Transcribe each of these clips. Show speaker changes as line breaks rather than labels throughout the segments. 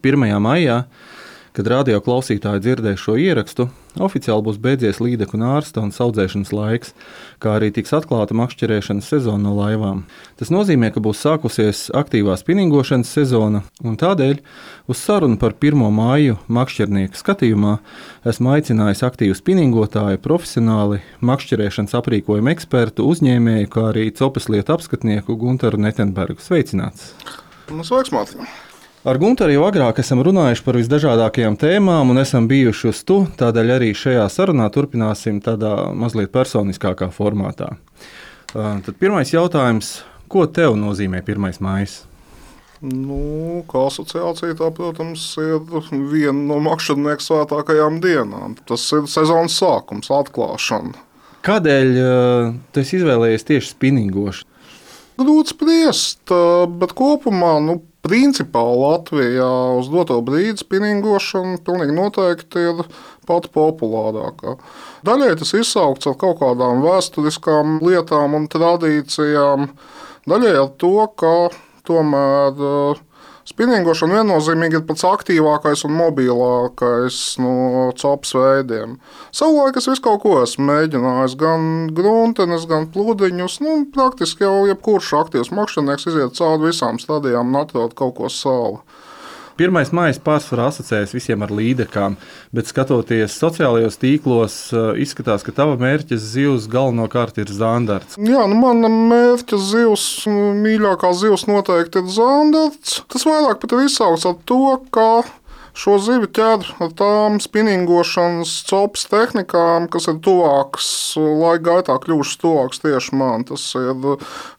1. maijā, kad radio klausītāji dzirdēs šo ierakstu, oficiāli būs beidzies līdeku nārsta un audzēšanas laiks, kā arī tiks atklāta makšķerēšanas sezona no laivām. Tas nozīmē, ka būs sākusies aktīvā spinningošanas sezona, un tādēļ uz sarunu par 1. māju makšķernieku skatījumā esmu aicinājis aktīvu spinningotāju, profesionāli makšķerēšanas aprīkojumu ekspertu, uzņēmēju, kā arī copas lietu apskatnieku Gunteru Netenbergu. Sveicināts!
Sveiks, Mārtiņ!
Ar Gunteru jau agrāk esam runājuši par visdažādākajām tēmām un esam bijuši uz tu, tādēļ arī šajā sarunā turpināsim tādā mazliet personiskākā formātā. Tad pirmais jautājums, ko tev nozīmē 1. mājas?
Kā asociācija tā, protams, ir viena no makšķernieku svētākajām dienām. Tas ir sezonas sākums, atklāšana.
Kādēļ tu esi izvēlējies tieši spinningošanu?
Grūti spriest, bet kopumā, principā Latvijā uz doto brīdi spinningošana pilnīgi noteikti ir pati populārākā. Daļai tas izsaukts ar kaut kādām vēsturiskām lietām un tradīcijām, daļai ar to, ka tomēr spinningošana viennozīmīgi ir pats aktīvākais un mobilākais no copas veidiem. Savulaik es visu kaut ko esmu mēģinājis, gan gruntenes, gan pludiņus. Praktiski jau jebkurš aktīvs makšķernieks iziet cauri visām stadijām un atrod kaut ko savu.
1. mājas pārsvarā asociējas visiem ar līdekām, bet skatoties sociālajos tīklos, izskatās, ka tava mērķa zivs galvenokārt ir zandarts.
Jā, mana mērķa zivs, mīļākā zivs noteikti ir zandarts. Tas vairāk pat ir izsaukts ar to, ka šo zivi ķer ar tām spinningošanas copas tehnikām, kas ir tuvākas, laika gaitā kļuvušas tuvākas tieši man. Tas ir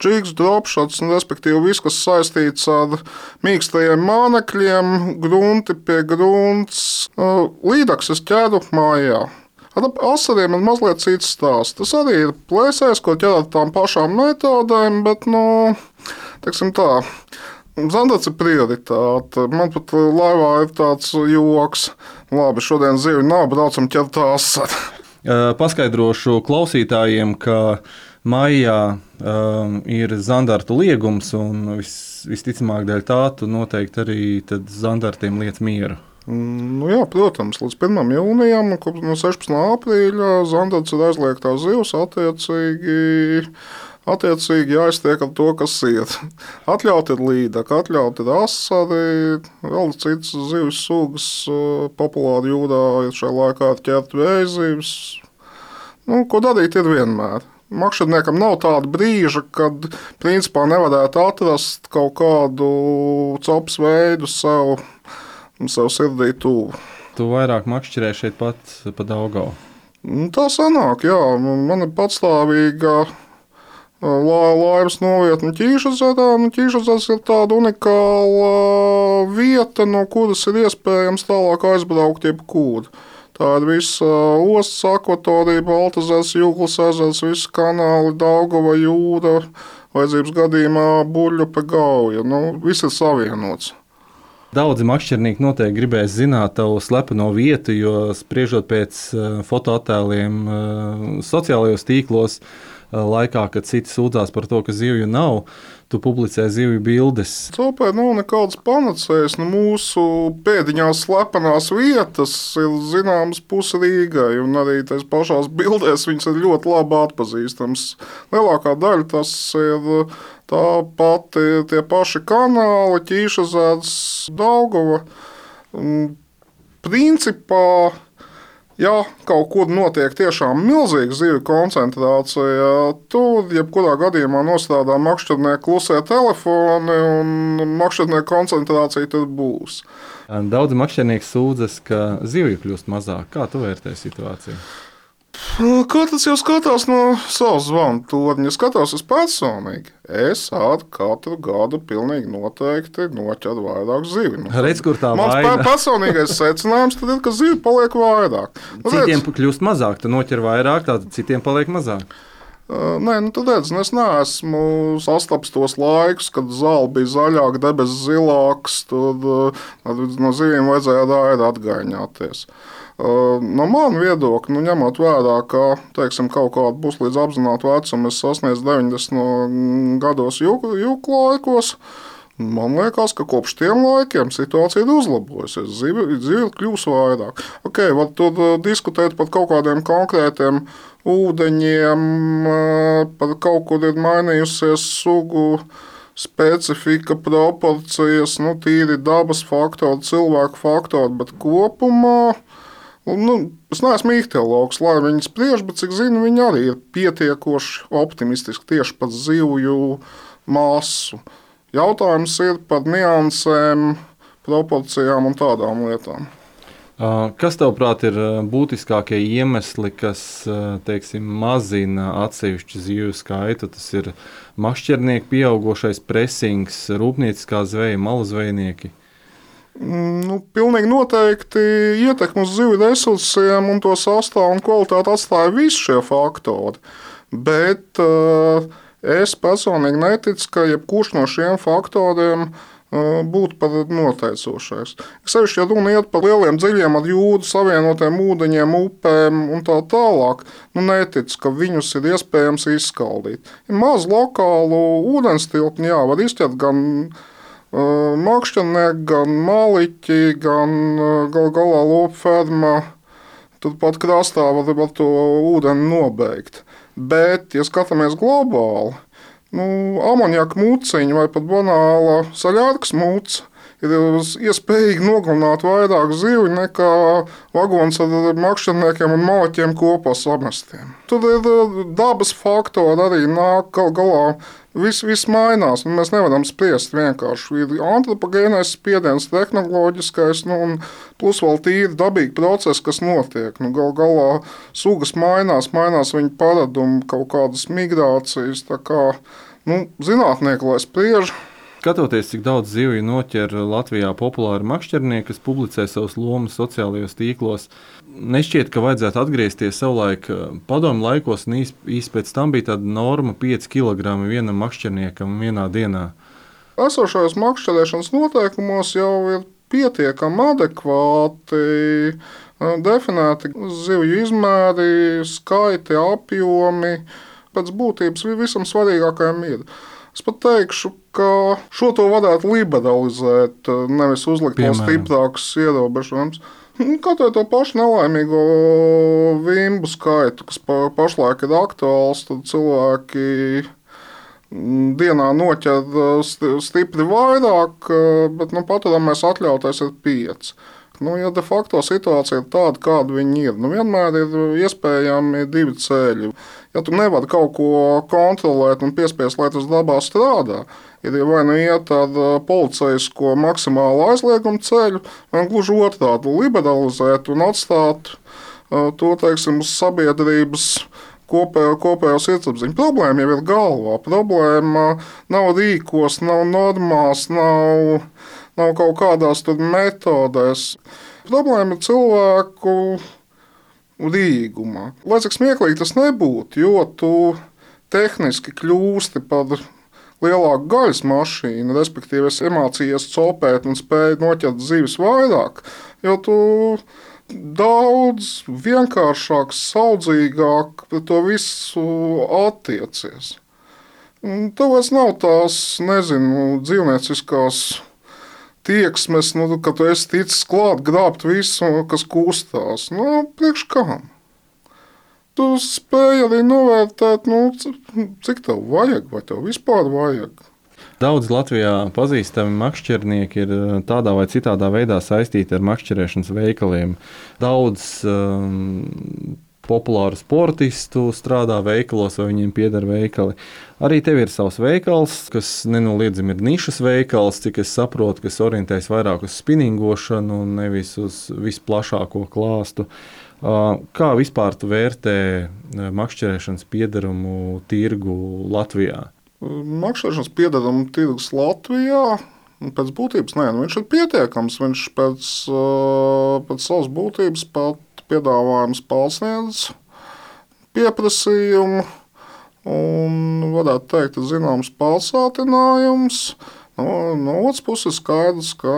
džigs, dropšots, respektīvi viss, kas saistīts ar mīkstajiem mānekļiem, grunti pie grunts. Līdaks es ķeru mājā. Ar asariem ir mazliet cits stāsts. Tas arī ir plēsējs, ko ķer ar tām pašām metodēm, bet, teiksim tā, zandarts ir prioritāte. Man pat laivā ir tāds joks. Labi, šodien zivju nav, braucam ķert asaru.
Paskaidrošu klausītājiem, ka maijā ir zandartu liegums, un visticamāk dēļ tā tu noteikti arī zandartiem liec mieru.
Jā, protams, līdz 1. jūnijam, no 16. aprīļa zandarts ir aizliegtā zivs, attiecīgi jāiztiek ar to, kas ir. Atļaut ir līdaka, atļaut ir asari, vēl citas zivs sugas populāri jūrā ir šajā laikā ķert vējzīves. Ko darīt ir vienmēr. Makšķerniekam nav tāda brīža, kad principā nevarētu atrast kaut kādu copas veidu sev sirdī tuvu.
Tu vairāk makšķerē šeit pat pa Daugavu?
Tā sanāk, jā. Man ir patstāvīga laivas novietne Ķīšazarā. Ķīšazars ir tāda unikāla vieta, no kuras ir iespējams tālāk aizbraukt jebkur. Tā ir visa ostas akvatorija, Baltazars, Jūglas ezers, visi kanāli, Daugava jūra, vajadzības gadījumā Buļļupe Gauja. Viss ir savienots.
Daudzi makšķernieki noteikti gribēs zināt tavu slepeno vietu, jo spriežot pēc fotoattēliem sociālajos tīklos, laikā, kad citi sūdzās par to, ka zivju nav, tu publicē zivju bildes.
Copē nav nekādas panacējas. Mūsu pēdiņās slepenās vietas ir zināmas pusi Rīgai, un arī tās pašās bildēs viņas ir ļoti labi atpazīstams. Lielākā daļa tas ir tā pati tie paši kanāli, Ķīšazars, Daugava. Principā, ja kaut kur notiek tiešām milzīga zivju koncentrācija, tur jebkurā gadījumā nostrādā makšķernieku klusie telefoni un makšķernieku koncentrācija tur būs.
Daudzi makšķernieki sūdzas, ka zivju kļūst mazāk. Kā tu vērtē situāciju?
Katrs jau skatās no savas zvanu torņa. Skatos es personīgi. Es katru gadu pilnīgi noteikti noķeru vairāk zivju.
Redz, kur tā
vaina. Mans personīgais secinājums tad ir, ka zivju paliek vairāk.
Citiem kļūst mazāk, tu noķer vairāk, tātad citiem paliek mazāk.
Nē, tad redz, es neesmu sastaps tos laikus, kad zāle bija zaļāka, debesis zilāks, tad no zivīm vajadzēja daļai atgaiņāties. No manu viedokļa, ņemot vērā, ka teiksim, kaut kāda būs līdz apzinātu vecumu, es sasniedzu 90 gados jūku laikos, Man liekas, ka kopš tiem laikiem situācija ir uzlabojusies. Zivju ir kļuvusi vairāk. Okay, tur diskutēt par kaut kādiem konkrētiem ūdeņiem, par kaut kur ir mainījusies sugu specifika, proporcijas, tīri dabas faktori, cilvēku faktori, bet kopumā es neesmu ihtiologs, lai viņi spriež, bet cik zinu, viņi arī ir pietiekoši optimistiski tieši par zivju masu. Jautājums ir par niansēm, proporcijām un tādām lietām.
Kas, tavuprāt, ir būtiskākie iemesli, kas, teiksim, mazina atsevišķu zivju skaitu? Tas ir makšķernieku pieaugošais presings, rūpnieciskā zveja, malazvejnieki?
Pilnīgi noteikti ietekmi uz zivju resursiem un to sastāvu un kvalitāti atstāja visi šie faktori. Bet es personīgi neticu, ka jebkurš no šiem faktoriem būtu pat noteicošais. Sevišķi, ja runa iet par lieliem dziļiem ar jūru savienotiem ūdeņiem, upēm un tā tālāk, neticu, ka viņus ir iespējams izskaldīt. Ir maz lokālu ūdenstilpni, var izķert gan makšķernieki, gan maliķi, gan gal galā lopferma. Turpat krastā var to ūdeni nobeigt. Bet, ja skatāmies globāli, amoniaka mūciņa vai pat banāla saļārkas mūca ir iespējīgi nogalināt vairāk zivju nekā vagons ar makšķerniekiem un maliķiem kopā samestiem. Tur ir dabas faktori arī nāk galā. Viss mainās, mēs nevaram spriest vienkārši. Ir antropogēnais spiediens, tehnoloģiskais, un plus vēl tīri dabīgi procesi, kas notiek. Galā sugas mainās viņa paradumi, kaut kādas migrācijas. Tā kā, zinātnieki, lai spriež.
Skatoties, cik daudz zivju noķer Latvijā populāri makšķernieki, kas publicē savus lomas sociālajos tīklos, nešķiet, ka vajadzētu atgriezties savulaik padomju laikos, un īsti pēc tam bija tāda norma 5 kg vienam makšķerniekam vienā dienā.
Esošajos makšķerēšanas noteikumos jau ir pietiekami adekvāti definēti zivju izmēri, skaiti, apjomi. Pēc būtības visam svarīgākajam ir. Es pat teikšu, ka šo to varētu liberalizēt, nevis uzlikt vēl stiprākus ierobežojumus. Katrai to pašu nelaimīgo vimbu skaitu, kas pašlaik ir aktuāls, tad cilvēki dienā noķer stipri vairāk, bet paturāmais atļautais ir 5. Ja de facto situācija ir tāda, kāda viņi ir, vienmēr ir iespējami 2 ceļi. Ja tu nevari kaut ko kontrolēt un piespiest, lai tas dabā strādā, ir vai iet ar policijasko maksimālu aizliegumu ceļu, vai gluži otrādi liberalizēt un atstāt to, teiksim, uz sabiedrības kopējo sirdsapziņu. Problēma jau ir galvā. Problēma nav rīkos, nav normās, nav kaut kādās metodēs. Problēma ir cilvēku rīgumā. Lai cik smieklīgi tas nebūtu, jo tu tehniski kļūsti par lielāku gaļas mašīnu, respektīvi esi emācijas copēt un spēj noķert zivis vairāk, jo tu daudz vienkāršāk, saudzīgāk pret to visu attiecies. Tev vairs nav tās, dzīvnieciskās tieksmes, ka tu esi ticis klāt grābt visu, kas kustās. Priekš kam? Tu spēj arī novērtēt, cik tev vajag, vai tev vispār vajag.
Daudz Latvijā pazīstami makšķernieki ir tādā vai citādā veidā saistīti ar makšķerēšanas veikaliem. Daudz populāru sportistu strādā veikalos, vai viņiem pieder veikali. Arī tev ir savs veikals, kas nenoliedzami ir nišas veikals, cik es saprotu, kas orientējas vairāk uz spinningošanu un nevis uz visplašāko klāstu. Kā vispār tu vērtē makšķerēšanas piederumu tirgu Latvijā?
Makšķerēšanas piederumu tirgus Latvijā pēc būtības viņš ir pietiekams. Viņš pēc savas būtības pat piedāvājums pārsniedz pieprasījumu un, varētu teikt, zināms pārsātinājums. No otras puses skaidrs, ka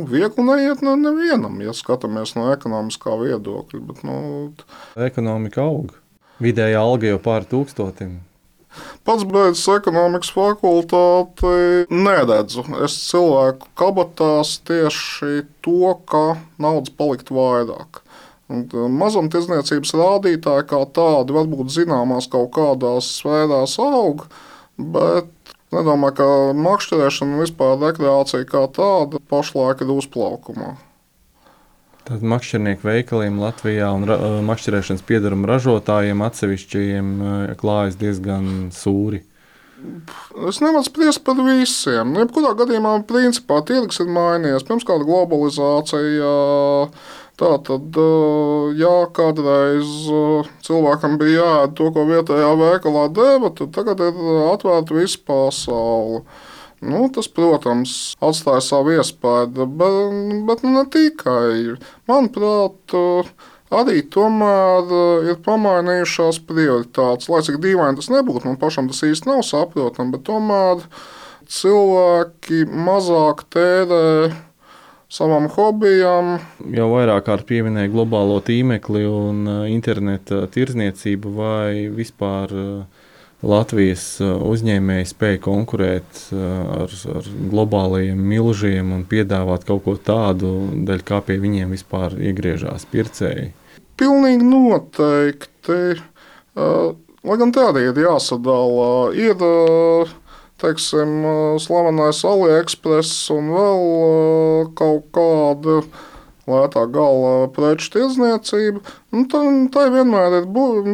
viegli neiet nevienam, ja skatāmies no ekonomiskā viedokļa. Bet,
ekonomika aug. Vidējā alga jau pār 1000.
Pats beidzis ekonomikas fakultāti, neredzu. Es cilvēku kabatās tieši to, ka naudas palikt vairāk. Mazumtirdzniecības rādītāji kā tādi varbūt zināmās kaut kādās sfērās aug, bet nedomāju, ka makšķerēšana un vispār rekreācija kā tāda pašlaik ir uzplaukumā.
Tad makšķernieku veikaliem Latvijā un makšķerēšanas piedaruma ražotājiem atsevišķajiem klājas diezgan sūri.
Es nevaru spriest par visiem. Jebkurā gadījumā principā tirgus ir mainījies. Pirms kāda globalizācija, tātad, jā, kādreiz cilvēkam bija jāēd to, ko vietējā veikalā deva, tad tagad ir atvērta visa pasaule. Tas, protams, atstāja savu iespēju, bet ne tikai. Manuprāt, arī tomēr ir pamainījušās prioritātes. Lai cik dīvaini tas nebūtu, man pašam tas īsti nav saprotami, bet tomēr cilvēki mazāk tērē savam hobijam.
Jau vairāk kārt pieminēja globālo tīmekli un interneta tirdzniecību, vai vispār Latvijas uzņēmēji spēja konkurēt ar globālajiem milžiem un piedāvāt kaut ko tādu, dēļ kā pie viņiem vispār iegriežās pircēji?
Pilnīgi noteikti. Lai gan tā arī ir jāsadala. Ir, teiksim, slavenais AliExpress un vēl kaut kāda lētā gala preču tirdzniecība. Tā vienmēr ir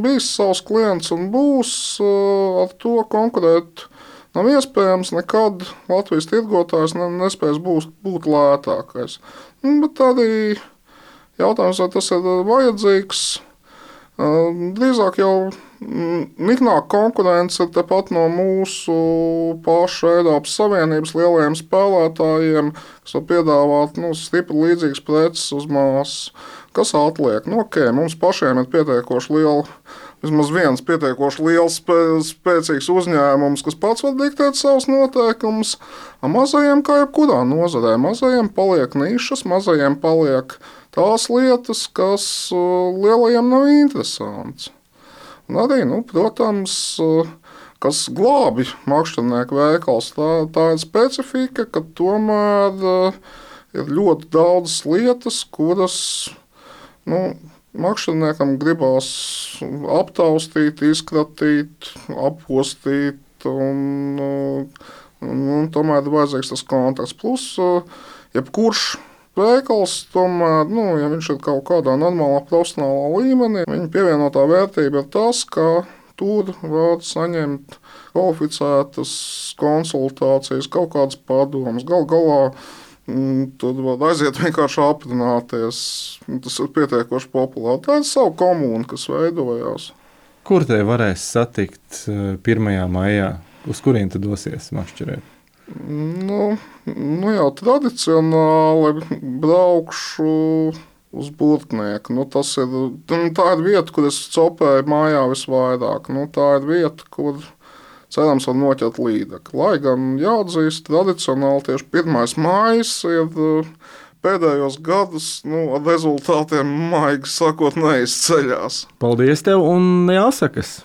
bijis savs klients un būs. Ar to konkurēt nav iespējams. Nekad Latvijas tirgotājs nespēs būt lētākais. Bet arī jautājums, vai tas ir vajadzīgs. Drīzāk jau niknāk konkurence ir tepat no mūsu pašu Eiropas Savienības lielajiem spēlētājiem, kas var piedāvāt stipri līdzīgas preces uz māsas. Kas atliek? Mums pašiem ir pietiekoši liela, vismaz viens pietiekoši liels, spēcīgs uzņēmums, kas pats var diktēt savus noteikumus. Mazajiem, kā jebkurā nozarē, mazajiem paliek nišas, mazajiem paliek tās lietas, kas lielajiem nav interesants. Un arī, protams, kas glābi makšķernieku veikals, tā ir specifika, ka tomēr ir ļoti daudz lietas, kuras makšķerniekam gribās aptaustīt, izkratīt, apostīt, un tomēr ir vajadzīgs tas kontakts. Plus, jebkurš veikals, tomēr, ja viņš ir kaut kādā normālā profesionālā līmenī, viņa pievienotā vērtība ir tas, ka tur var saņemt kvalificētas konsultācijas, kaut kādas padomas. Galu galā tur var aiziet vienkārši aprunāties. Tas ir pietiekoši populāri. Tā ir sava komūna, kas veidojās.
Kur te varēs satikt 1. maijā? Uz kurien tu dosies makšķerēt? Jau tradicionāli braukšu uz Burtnieku. Tā ir vieta, kur es copēju mājā visvairāk. Tā ir vieta, kur cerams var noķert līdzekļu. Lai gan jāatzīst, tradicionāli tieši 1. maijs ir pēdējos gadus ar rezultātiem, maigi sakot, neizceļās. Paldies tev un jāsakas!